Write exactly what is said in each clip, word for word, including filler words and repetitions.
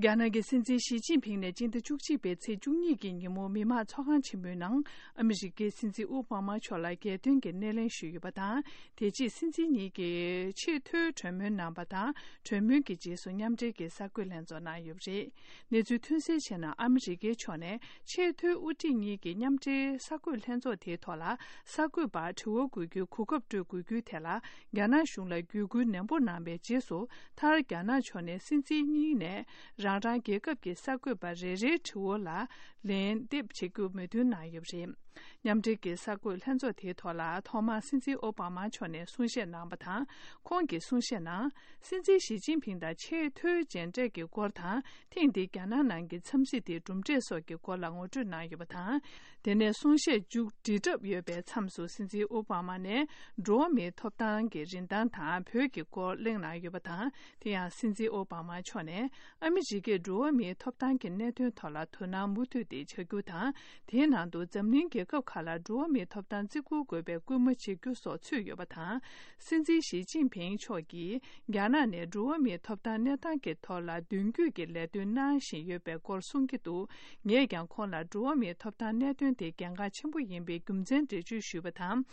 རྒྱ་ནག་གི་སྲིད་འཛིན་ཞི་ཅིན་ཕིང་ནས་སྤྱི་ཟླ་བཅུ་གཅིག་པའི་ཚེས་བཅུ་གཉིས་ཀྱི་ཉིན་མོ་མི་དམངས་ཚོགས་ཁང་ཆེན་མོའི་ནང་ཨ་མི་རི་ཀའི་སྲིད་འཛིན་ཨོ་བྷ་མ་མཆོག་ལ་རྒྱལ་དོན་གྱི་སྣེ་ལེན་ཞུས་ཡོད་པ་དང་། དེ་རྗེས་སྲིད་འཛིན་གཉིས་ཀྱིས་ཆེས་མཐོའི་གྲོས་མོལ་གནང་བ་དང་། གྲོས་མོལ་གྱི་རྗེས་སུ་མཉམ་འབྲེལ་གྱི་གསར་འགོད་ལྷན་ཚོགས་གནང་ཡོད་པ་རེད། གནས་ཚུལ་ཐོན་གསལ་བྱས་ན། ཨ་མི་རི་ཀའི་ཕྱོགས་ནས་ཆེས་མཐོའི་དབུ་ཁྲིད་གཉིས་ཀྱི་མཉམ་འབྲེལ་གསར་འགོད་ལྷན་ཚོགས་དེའི་ཐོག་ལ། གསར་འགོད་པར་དྲི་བ་འགོད་རྒྱུའི་གོ་སྐབས་སྤྲོད་དགོས་རྒྱུའི་ཐད་ལ། རྒྱ་ནག་གཞུང་ལ་བརྒྱུད་སྐུལ་ནན་པོ་གནང་བའི་རྗེས་སུ། མཐར་རྒྱ་ནག་ཕྱོགས་ནས་སྲིད་འཛིན་གཉིས་ནས་རང་རང་རྒྱལ་ཁབ་ཀྱི་གསར་འགོད་པ་རེ་རེའི་དྲི་བ་ལ་ལན་འདེབས་བྱེད་རྒྱུ་མོས་མཐུན་གནང་ཡོད་པ་རེད། མཉམ་འབྲེལ་གྱི་གསར་འགོད་ལྷན་ཚོགས་དེའི་ཐོག་ལ། ཐོག་མར་སྲིད་འཛིན་ཨོ་བྷ་མ་མཆོག་ནས་གསུང་བཤད་གནང་བ་དང་། ཁོང་གིས་གསུང་བཤད་ནང་། སྲིད་འཛིན་ཞི་ཅིན་ཕིང་དང་ཆེས་མཐོའི་མཇལ་འཕྲད་ཀྱི་སྐོར་དང་། ཐེངས་འདིའི་རྒྱ་ནག་ནང་གི་འཚམས་གཟིགས་དེའི་གྲུབ་འབྲས་སོགས་ཀྱི་སྐོར་ལ་ངོ་སྤྲོད་གནང་ཡོད་པ་དང་། དེ་ནས་གསུང་བཤད་མཇུག་སྒྲིལ་གྲབས་ཡོད་པའི་མཚམས་སུ། སྲིད་འཛིན་ཨོ་བྷ་མ་ནས་འགྲོ་བ་མིའི་ཐོབ་ཐང་གི་རིན་ཐང་དང་བོད་ཀྱི་སྐོར་གླེང་གནང་ཡོད་པ་དང་། དེ་ཡང་སྲིད་འཛིན་ཨོ་བྷ་མ་མཆོག་ནས། ཨ་མི་རི་ཀས་འགྲོ་བ་མིའི་ཐོབ་ཐང་གི་གནད་དོན་ཐོག་ལ་དོ་སྣང་མུ་མཐུད་དེ་བྱ་རྒྱུ་དང་། དེའི་ནང་དུ་འཛམ་གླིང་རྒྱལ་ཁབ་ཁག་ལ་འགྲོ་བ་མིའི་ཐོབ་ཐང་བརྩི་བཀུར་དགོས་པའི་སྐུལ་མ་བྱེད་རྒྱུ་སོགས་ཚུད་ཡོད་པ་དང་། སྲིད་འཛིན་ཞི་ཅིན་ཕིང་མཆོག་གིས་རྒྱ་ནག་ནས་འགྲོ་བ་མིའི་ཐོབ་ཐང་གནས་སྟངས་ཀྱི་ཐོག་ལ་མདུན་སྐྱོད་ཀྱི་ལས་དོན་གནང་བཞིན་ཡོད་པའི་སྐོར་གསུང་གི་འདུག་ངས་ཀྱང་ཁོང་ལ་འགྲོ་བ་མིའི་ཐོབ་ཐང་གནད་དོན་དེ་གལ་འགངས་ཆེན་པོ་ཡིན་པའི་རྒྱུ་མཚན་འགྲེལ་བརྗོད་ཞུས་པ་དང་།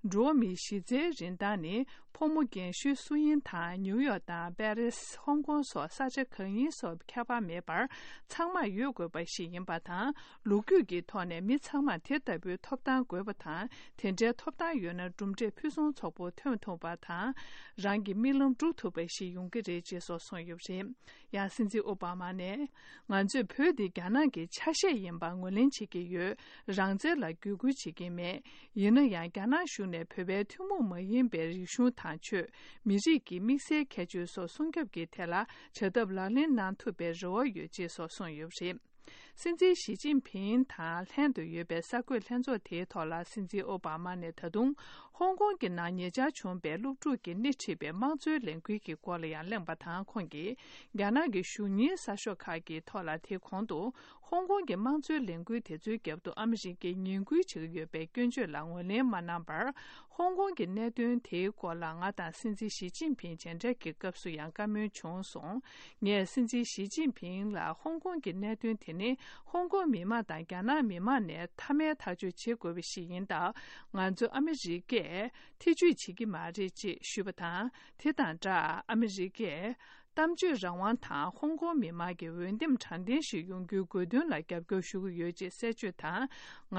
འགྲོ་བ་མིའི་གཞི་རྩའི་རིན་ཐང་ནི། ཕོ་མོ་རྒན་གཞོན་སུ་ཡིན་དང་། ནིའུ་ཡོག་དང་པེ་རིས། ཧོང་ཀོང་སོགས་ས་ཆ་གང་ཡིན་སོགས་ཁྱད་པར་མེད་པར་ཚང་མར་ཡོད་དགོས་པ་ཞིག་ཡིན་པ་དང་། ལོ་རྒྱུས་ཀྱི་ཐོག་ནས་མི་ཚང་མར་དེ་ལྟ་བུའི་ཐོབ་ཐང་དགོས་པ་དང་། དེ་འདྲའི་ཐོབ་ཐང་ཡོད་ན་གྲུབ་འབྲས་ཕུན་སུམ་ཚོགས་པོ་ཐོན་ཐུབ་པ་དང་། རང་གི་རྨི་ལམ་འགྲུབ་ཐུབ་པ་ཞིག་ཡོང་གི་རེད་ཅེས་སོགས་གསུངས་ཡོད་པ་རེད། ཡང་སྲིད་འཛིན་ཨོ་བྷ་མ་ནས། ང་ཚོས་བོད་འདི་རྒྱ་ནག་གི་ཆ་ཤས་ཡིན་པ་ངོས་ལེན་བྱེད་ཀྱི་ཡོད། རང་བཙན་ལ་བརྒྱུད་སྐུལ་བྱེད་ཀྱི་མེད། ཡིན་ན་ཡང་རྒྱ་ནག་གཞུང་ནས་བོད་པའི་ཐུན་མོང་མ་ཡིན་པའི་རིག་གཞུང་དང་ཆོས། མི་རིགས་ཀྱི་དམིགས་བསལ་ཁྱད་ཆོས་སོགས་སྲུང་སྐྱོབ་ཀྱི་ཐད་ལ་བྱ་ཐབས་ལག་ལེན་གནང་ཐུབ་པའི་རེ་བ་ཡོད་ཅེས་སོགས་གསུངས་ཡོད་པ་རེད། སྲིད་འཛིན་ཞི་ཅིན་ཕིང་དང་ལྷན་དུ་ཡོད་པའི་གསར་འགོད་ལྷན་ཚོགས་དེའི་ཐོག་ལ། སྲིད་འཛིན་ཨོ་བྷ་མ་ནས་ད་དུང་ཧོང་ཀོང་གི་ནང་ཉེ་ཆར་བྱུང་པའི་སློབ་ཕྲུག་གིས་སྣེ་ཁྲིད་པའི་དམངས་གཙོའི་ལས་འགུལ་གྱི་སྐོར་ལ་ཡང་གླེང་བ་དང་། ཁོང་གིས་རྒྱ་ནག་གི་གཞུང་གཉེར་གསར་ཤོག་ཁག་གི་ཐོག་ལ་དེ་གོང་དུ། ཧོང་ཀོང་གི་དམངས་གཙོའི་ལས་འགུལ་དེ་ཚོའི་རྒྱབ་ཏུ་ཨ་མི་རི་ཀས་ངན་སྐུལ་བྱེད་ཀྱི་ཡོད་པའི་སྐྱོན་བརྗོད་ལ་ངོས་ལེན་མ་གནང་བར། ཧོང་ཀོང་གི་གནད་དོན་དེའི་སྐོར་ལ་ང་དང་སྲིད་འཛིན་ཞི་ཅིན་ཕིང་མཇལ་འཕྲད་ཀྱི་སྐབས་སུ་ཡང་བཀའ་མོལ་བྱུང་སོང་། ངས་སྲིད་འཛིན་ཞི་ཅིན་ཕིང་ལ་ཧོང་ཀོང་གི་གནད་དོན་དེ་ནི་ཧོང་ཀོང་མི་དམངས་དང་རྒྱ་ནག་མི་དམངས་ནས་མཐའ་མའི་ཐག་གཅོད་བྱེད་དགོས་པ་ཞིག་ཡིན་སྟབས། ང་ཚོ་ཨ་མི་རི་ཀས་ཐེ་ཇུས་བྱེད་ཀྱི་མ་རེད་ཅེས་ཞུས་པ་དང་། དེ་དང་སྦྲགས། ཨ་མི་རི་ཀས། གཏམ་བརྗོད་རང་དབང་དང་ཧོང་ཀོང་མི་དམངས་ཀྱི་འོས་འདེམས་དྲང་བདེན་ཞིག་ཡོང་རྒྱུའི་དགོས་འདུན་ལ་རྒྱབ་སྐྱོར་ཞུ་གི་ཡོད་ཅེས་གསལ་བརྗོད་དང་།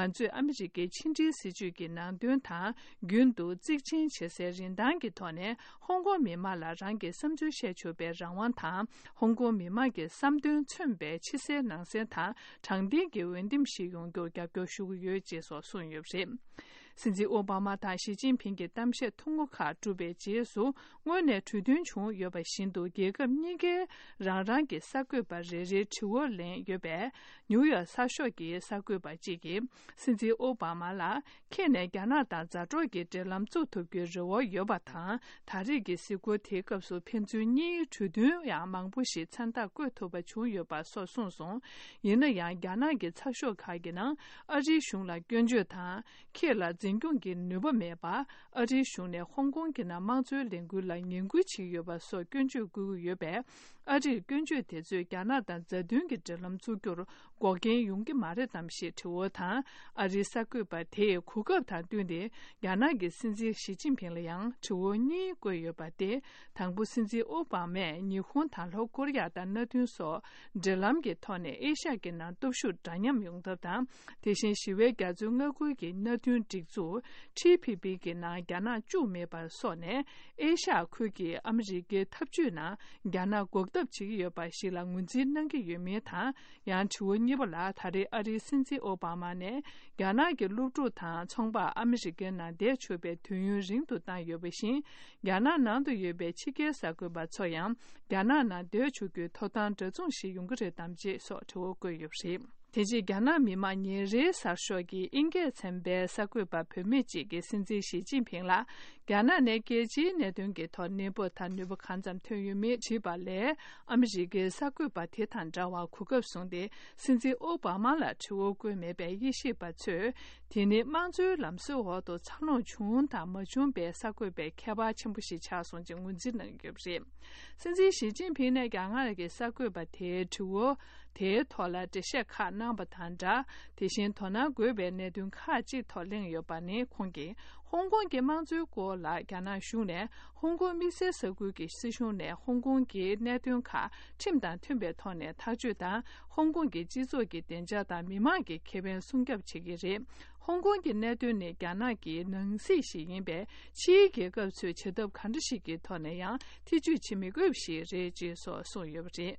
ང་ཚོས་ཨ་མི་རི་ཀའི་ཕྱི་འབྲེལ་སྲིད་ཇུས་ཀྱི་ནང་དོན་དང་། རྒྱུན་དུ་གཙིགས་ཆེན་བྱེད་སའི་རིན་ཐང་གི་ཐོག་ནས། ཧོང་ཀོང་མི་དམངས་ལ་རང་གི་བསམ་ཚུལ་བཤད་ཆོག་པའི་རང་དབང་དང་། ཧོང་ཀོང་མི་དམངས་ཀྱི་བསམ་དོན་མཚོན་པའི་ཕྱི་གསལ་ནང་གསལ་དང་། དྲང་བདེན་གྱི་འོས་འདེམས་ཤིག་ཡོང་རྒྱུར་རྒྱབ་སྐྱོར་ཞུ་གི་ཡོད་ཅེས་སོགས་གསུངས་ཡོད་པ་རེད། སྲིད་འཛིན་ཨོ་བྷ་མ་དང་ཞི་ཅིན་ཕིང་གི་གཏམ་བཤད་ཐུང་ངུ་ཁག་གྲུབ་པའི་རྗེས་སུ། སྔོན་ནས་གྲོས་མཐུན་བྱུང་ཡོད་པ་བཞིན་དུ། རྒྱལ་ཁབ་གཉིས་ཀའི་རང་རང་གི་གསར་འགོད་པ་རེ་རེའི་དྲི་བ་ལེན་ཡོད་པས། ནིའུ་ཡོག་གསར་ཤོག་གི་གསར་འགོད་པ་གཅིག་གིས། སྲིད་འཛིན་ཨོ་བྷ་མ་ལ། ཁྱེད་ནས་རྒྱ་ནག་དང་མཛའ་གྲོགས་ཀྱི་འབྲེལ་ལམ་བཙུགས་ཐུབ་རྒྱུའི་རེ་བ་ཡོད་པ་དང་། ད་རེས་ཀྱི་གཟིགས་སྐོར་དེའི་སྐབས་སུ། ཕན་ཚུན་གཉིས་གྲོས་མཐུན་ཡང་མང་པོ་ཞིག་མཚན་རྟགས་བཀོད་ཐུབ་པ་བྱུང་ཡོད་པ་སོགས་གསུངས་སོང་། ཡིན་ན་ཡང་། རྒྱ་ནག་གི་ཚགས་ཤོག་ཁག་གི་ནང་ཨ་རིའི་གཞུང་ལ་སྐྱོན་བརྗོད་དང་། ཁྱེད་ལ་འཛིན་སྐྱོང་གི་ནུས་པ་མེད་པ། ཨ་རིའི་གཞུང་ནས་ཧོང་ཀོང་གི་ནང་དམངས་གཙོའི་ལས་འགུལ་ལ་ངན་སྐུལ་བྱེད་ཀྱི་ཡོད་པ་སོགས་སྐྱོན་བརྗོད་བཀོད་ཀྱི་ཡོད་པས། ཨ་རིར་སྐྱོན་བརྗོད་དེ་ཚོས་རྒྱ་ནག་དང་མཛའ་མཐུན་གྱི་འབྲེལ་ལམ་བཙུགས་རྒྱུར་འགོག་རྐྱེན་ཡོང་གི་མ་རེད་དམ་ཞེས་དྲི་བ་དང་། ཨ་རིའི་གསར་འགོད་པ་དེས་གོ་སྐབས་དང་བསྟུན་ཏེ། རྒྱ་ནག་གི་སྲིད་འཛིན་ཞི་ཅིན་ཕིང་ལ་ཡང་དྲི་བ་གཉིས་བཀོད་ཡོད་པ་སྟེ། དང་པོ། སྲིད་འཛིན་ཨོ་བྷ་མས་ཉི་ཧོང་དང་ལྷོ་ཀོ་རི་ཡ་དང་མནའ་མཐུན་སོགས་འབྲེལ་ལམ་གྱི་ཐོག་ནས་ཨེ་ཤ་ཡ་གི་ནང་སྟོབས་ཤུགས་འདྲ་མཉམ་ཡོང་ཐབས་དང་། དེ་བཞིན་ཞི་བའི་རྒྱ་མཚོའི་མངའ་ཁུལ་གྱི་མནའ་མཐུན་སྒྲིག་འཛུགས་ཊི་ཕི་ཕི་གི་ནང་རྒྱ་ནག་བཅུག་མེད་པ་སོགས་ནས། ཨེ་ཤ་ཡ་ཁུལ་གྱི་ཨ་མི་རི་ཀའི་འཐབ་ཇུས་ནང་རྒྱ་ནག་འགོག་ཐབས་བྱེད་ཀྱི་ཡོད་པ་ཞིག་ལ་ངོས་འཛིན་གནང་གི་ཡོད་མིན་དང་། ཡང་དྲི་བ་གཉིས་པ་ལ། ད་རེས་ཨ་རིའི་སྲིད་འཛིན་ཨོ་བྷ་མ་ནས་རྒྱ་ནག་གི་སློབ་ཕྲུག་དང་ཚོང་པ་ཨ་མི་རི་ཀའི་ནང་བསྡད་ཆོག་པའི་དུས་ཡུན་རིང་དུ་བཏང་ཡོད་པ་བཞིན། རྒྱ་ནག་ནང་དུ་ཡོད་པའི་ཕྱི་རྒྱལ་གསར་འགོད་པ་ཚོ་ཡང་རྒྱ་ནག་ནང་བསྡད་ཆོག་རྒྱུའི་ཐོབ་ཐང་འདྲ་མཚུངས་ཤིག་ཡོང་གི་རེད་དམ་ཅེས་སོགས་དྲི་བ་བཀོད་ཡོད་པ་རེད། དེ་རྗེས་རྒྱ་ནག་མི་དམངས་ཉིན་རེའི་གསར་ཤོག་གི་དབྱིན་སྐད་ཚན་པའི་གསར་འགོད་པ་བུད་མེད་ཅིག་གིས་སྲིད་འཛིན་ཞི་ཅིན་ཕིང་ལ། རྒྱ་ནག་ནས་རྒྱལ་སྤྱིའི་གནད་དོན་གྱི་ཐོག་གནས་བབ་དང་ནུས་པ་གང་ཙམ་ཐོན་ཡོད་མེད་དྲིས་པ་ལས། ཨ་མི་རི་ཀའི་གསར་འགོད་པ་དེ་དང་འདྲ་བར་གོ་སྐབས་བཟུང་སྟེ། སྲིད་འཛིན་ཨོ་བྷ་མ་ལ་དྲི་བ་བཀོད་མེད་པས། དབྱེ་ཞིབ་པ་ཚོས་དེ་ནི་དམངས་གཙོའི་ལམ་སྲོལ་འོག་ཏུ་འཚར་ལོངས་བྱུང་དང་མ་བྱུང་པའི་གསར་འགོད་པའི་ཁྱད་པར་ཆེན་པོ་ཞིག་ཆགས་སོང་ཅེས་ངོས་འཛིན་གནང་ཡོད་པ་རེད། སྲིད་འཛིན་ཞི་ཅིན་ཕིང་ནས་རྒྱ་གར་གྱི་གསར་འགོད་པ་དེའི་དྲི་བ་དེའི་ཐོག་ལ་འགྲེལ་བཤད་ཁག་གནང་བ་དང་སྦྲགས། དེ་བཞིན་དོ་སྣང་དགོས་པའི་གནད་དོན་ཁག་ཅིག་ཐོག་གླེང་ཡོད་པ་ནི། ཁོང་གིས་ཧོང་ཀོང་གི་དམངས་གཙོའི་སྐོར་ལ་རྒྱ་ནག་གཞུང་ནས་ཧོང་ཀོང་དམིགས་བསལ་ས་ཁུལ་གྱི་སྲིད་གཞུང་ནས་ཧོང་ཀོང་གི་གནད་དོན་ཁག་ཁྲིམས་དང་མཐུན་པའི་ཐོག་ནས་ཐག་གཅོད་དང་། ཧོང་ཀོང་གི་སྤྱི་ཚོགས་ཀྱི་བདེ་འཇགས་དང་མི་མང་གི་ཁེ་ཕན་སྲུང་སྐྱོབ་བྱེད་ཀྱི་རེད། ཧོང་ཀོང་གི་གནད་དོན་ནི་རྒྱ་ནག་གི་ནང་སྲིད་ཞིག་ཡིན་པས། ཕྱིའི་རྒྱལ་ཁབ་ཚོས་བྱ་ཐབས་གང་འདྲ་ཞིག་གི་ཐོག་ནས་ཡང་ཐེ་ཇུས་བྱེད་མི་དགོས་པ་ཞིག་རེད་ཅེས་སོགས་གསུངས་ཡོད་པ་རེད།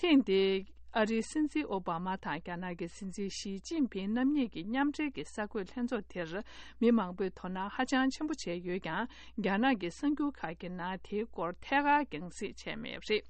ཐེངས་འདིའི་ཨ་རིའི་སྲིད་འཛིན་ཨོ་བྷ་མ་དང་རྒྱ་ནག་གི་སྲིད་འཛིན་ཞི་ཅིན་ཕིང་རྣམ་གཉིས་ཀྱི་མཉམ་འབྲེལ་གྱི་གསར་འགོད་ལྷན་ཚོགས་དེར། མི་མང་པོས་དོ་སྣང་ཧ་ཅང་ཆེན་པོ་བྱས་ཡོད་ཀྱང་། རྒྱ་ནག་གི་གསར་འགྱུར་ཁག་གི་ནང་དེའི་སྐོར་ཐད་ཀར་རྒྱང་སྲིང་བྱས་མེད་པ་རེད།